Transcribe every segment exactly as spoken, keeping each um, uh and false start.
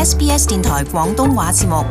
S B S 電台廣東話節目。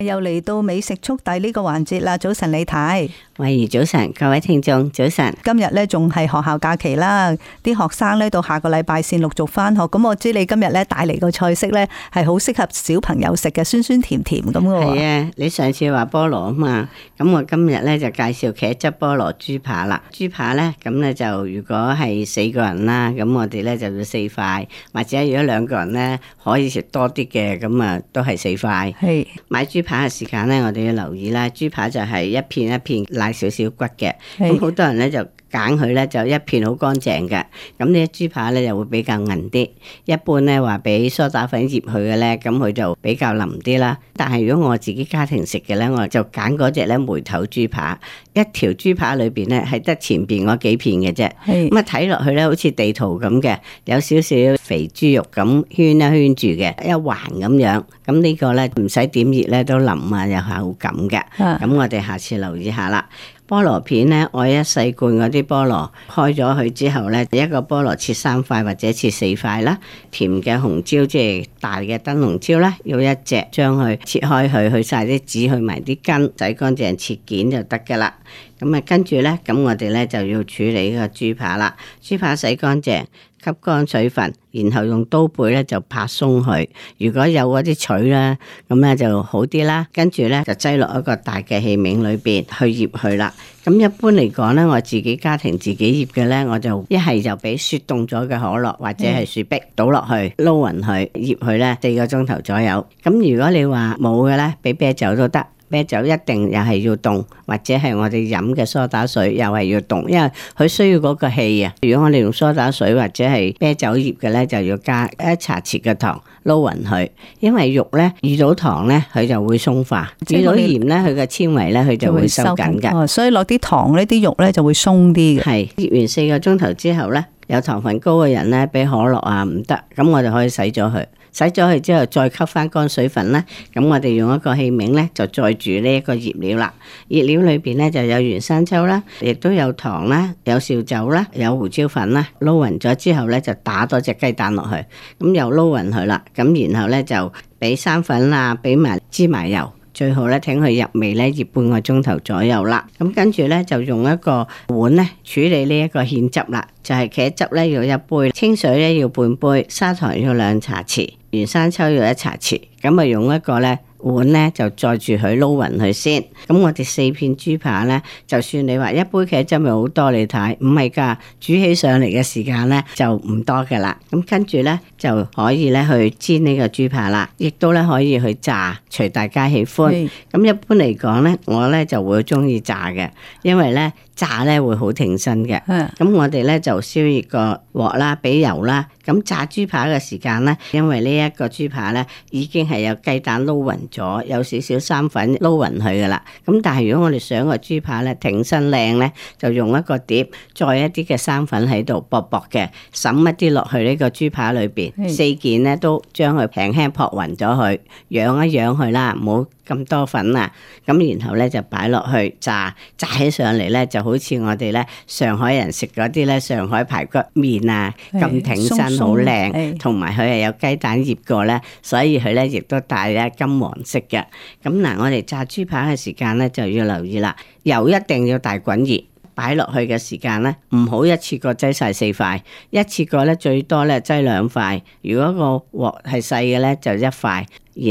又嚟到美食速遞呢個環節啦！早晨李太，慧怡早晨，各位聽眾早晨。今日咧仲係學校假期啦，啲學生咧到下個禮拜先陸續翻學。咁我知你今日咧帶嚟個菜式咧係好適合小朋友食嘅，酸酸甜甜咁嘅喎。係啊，你上次話菠蘿啊嘛，咁我今日咧就介紹茄汁菠蘿豬扒啦。豬扒咧咁咧就如果係四個人啦，咁我哋咧就要四塊，或者如果兩個人咧可以食多啲嘅，咁啊都係四塊。係買豬扒嘅時間咧，我哋要留意啦。豬扒就係一片一片拉少少骨嘅，咁好多人咧就揀佢咧就一片好乾淨嘅，咁呢啲豬扒咧就會比較韌啲。一般咧話俾梳打粉醃佢嘅咧，咁佢就比較腍啲啦。但係如果我自己家庭食嘅咧，我就揀嗰隻咧梅頭豬扒，一條豬扒裏邊咧係得前邊嗰幾片嘅啫。咁啊睇落去咧好似地圖咁嘅，有少少肥豬肉咁圈一圈住嘅，一環咁樣。咁呢個咧唔使點熱咧都腍啊，有口感嘅。咁我哋下次留意下啦。菠蘿片咧，我一細罐嗰啲菠蘿開咗佢之後咧，一個菠蘿切三塊或者切四塊啦。甜嘅紅椒即係大嘅燈籠椒啦，要一隻將佢切開佢，去晒啲籽，去埋啲根，洗乾淨切件就得噶啦。咁啊，跟住咧，咁我哋咧就要處理呢個豬扒啦。豬扒洗乾淨，吸乾水分，然後用刀背咧就拍鬆佢。如果有嗰啲錘咧，咁咧就好啲啦。跟住咧就擠落一個大嘅器皿裏邊去醃佢啦。咁一般嚟講咧，我自己家庭自己醃嘅咧，我就一係就俾雪凍咗嘅可樂或者係雪碧倒落去撈勻佢，醃佢咧四個鐘頭左右。咁如果你話冇嘅咧，俾啤酒都得。啤酒一定又係要凍，或者係我哋飲嘅梳打水又係要凍，因為佢需要嗰個氣啊。如果我哋用梳打水或者係啤酒醃嘅咧，就要加一茶匙嘅糖撈勻佢，因為肉咧遇到糖咧佢就會鬆化，遇到鹽咧佢嘅纖維咧佢就會收緊嘅。哦，所以落啲糖呢啲肉咧就會鬆啲嘅。係醃完四個鐘頭之後咧，有糖分高嘅人咧俾可樂啊唔得，咁我哋可以洗咗佢。洗咗佢之後再吸翻乾水分啦，咁我哋用一個器皿咧就載住呢一個醃料啦。醃料裏邊咧就有原生抽啦，亦都有糖啦，有紹酒啦，有胡椒粉啦。撈勻咗之後咧就打多隻雞蛋落去，咁又撈勻佢啦。咁然後咧就俾生粉啊，俾埋芝麻油。最好咧，等佢入味咧，醃半個鐘頭左右啦。咁跟住咧，就用一個碗咧處理呢一個芡汁啦。就係茄汁咧要一杯，清水咧要半杯，砂糖要兩茶匙，原生抽要一茶匙。咁啊，用一個咧碗咧就載住佢撈勻佢先。咁我哋四片豬扒咧，就算你話一杯茄汁咪好多，你睇唔係噶，煮起上嚟嘅時間咧就唔多噶啦。咁跟住咧就可以咧去煎呢個豬扒啦，亦都咧可以去炸，隨大家喜歡。咁一般嚟講咧，我咧就會中意炸嘅，因為咧炸咧會好挺身嘅。咁我哋咧就燒熱個鑊啦，俾油啦。咁炸豬扒嘅時間咧，因為呢一個豬扒咧已經係有雞蛋撈勻咗，有少少生粉撈勻佢噶啦。咁但係如果我哋想個豬扒咧挺身靚咧，就用一個碟，再一啲嘅生粉喺度薄薄嘅，滲一啲落去呢個豬扒裏邊，四件咧都將佢輕輕撲勻咗佢，揚一揚佢啦，唔好咁多粉啊。咁然後咧就擺落去炸，炸起上嚟咧就好似我哋咧上海人食嗰啲咧上海排骨麵啊咁挺身。好靚，同埋佢係有雞蛋醃過咧，所以佢咧亦都帶咧金黃色嘅。咁嗱，我哋炸豬扒嘅時間咧就要留意啦，油一定要大滾熱，擺落去嘅時間咧唔好一次過擠晒四塊，一次過咧最多咧擠兩塊。如果個鑊係細嘅咧就一塊，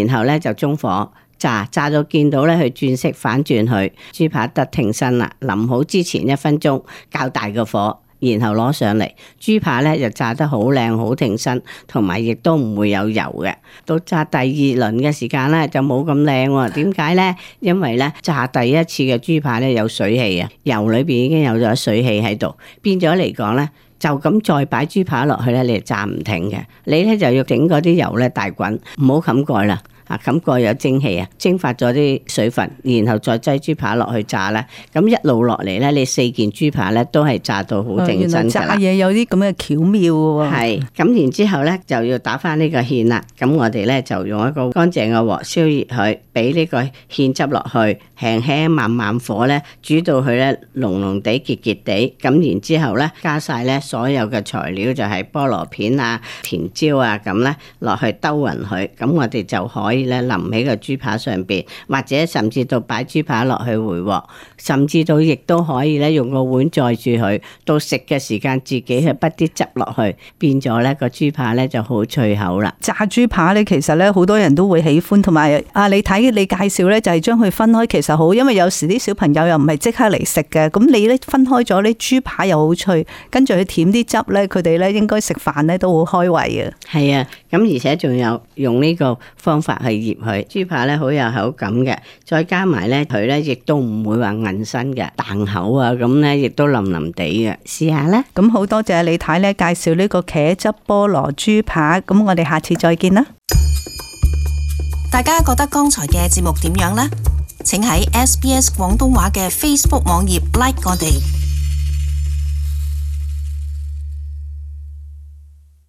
然後咧就中火炸，炸到見到咧佢轉色反轉佢，豬扒得挺身啦。淋好之前一分鐘較大個火。然後攞上嚟，豬扒咧就炸得好靚好挺身，同埋亦都唔會有油嘅。到炸第二輪嘅時間咧就冇咁靚喎。點解咧？因為咧炸第一次嘅豬扒咧有水氣啊，油裏邊已經有咗水氣喺度，變咗嚟講咧就咁再擺豬扒落去咧，你就炸唔停嘅。你咧就要整嗰啲油咧大滾，唔好冚蓋啦。嚇，咁個有蒸氣啊，蒸發咗啲水分，然後再擠豬扒落去炸咧，咁一路落嚟咧，你四件豬扒咧都係炸到好正身㗎啦。炸嘢有啲咁嘅巧妙喎。係，咁然之後咧就要打翻呢個芡啦。咁我哋咧就用一個乾淨嘅鑊燒熱佢，俾呢個芡汁落去，輕輕慢慢火咧煮到佢咧濃濃地、結結地。咁然之後咧加晒咧所有嘅材料，就係菠蘿片啊、甜椒啊咁咧落去兜勻佢。咁我哋就可以咧淋喺個豬扒上邊，或者甚至到擺豬扒落去回鑊，甚至到亦都可以咧用個碗載住佢，到食嘅時間自己去滗啲汁落去，變咗咧個豬扒咧就好脆口啦。炸豬扒咧，其實咧好多人都會喜歡，同埋啊，你睇你介紹咧就係將佢分開，其實好，因為有時啲小朋友又唔係即刻嚟食嘅，咁你咧分開咗啲豬扒又好脆，跟住佢舔啲汁咧，佢哋咧應該食飯咧都好開胃啊。係啊，咁而且仲有用呢個方法去醃佢，豬扒咧好有口感嘅，再加埋咧佢咧亦都唔會話韌身嘅，彈口啊咁咧亦都腍腍地嘅，試下啦。咁好多謝李太咧介紹呢個茄汁菠蘿豬扒，咁我哋下次再見啦。大家覺得剛才嘅節目點樣呢？請喺 S B S 廣東話嘅 Facebook 網頁 like 我哋。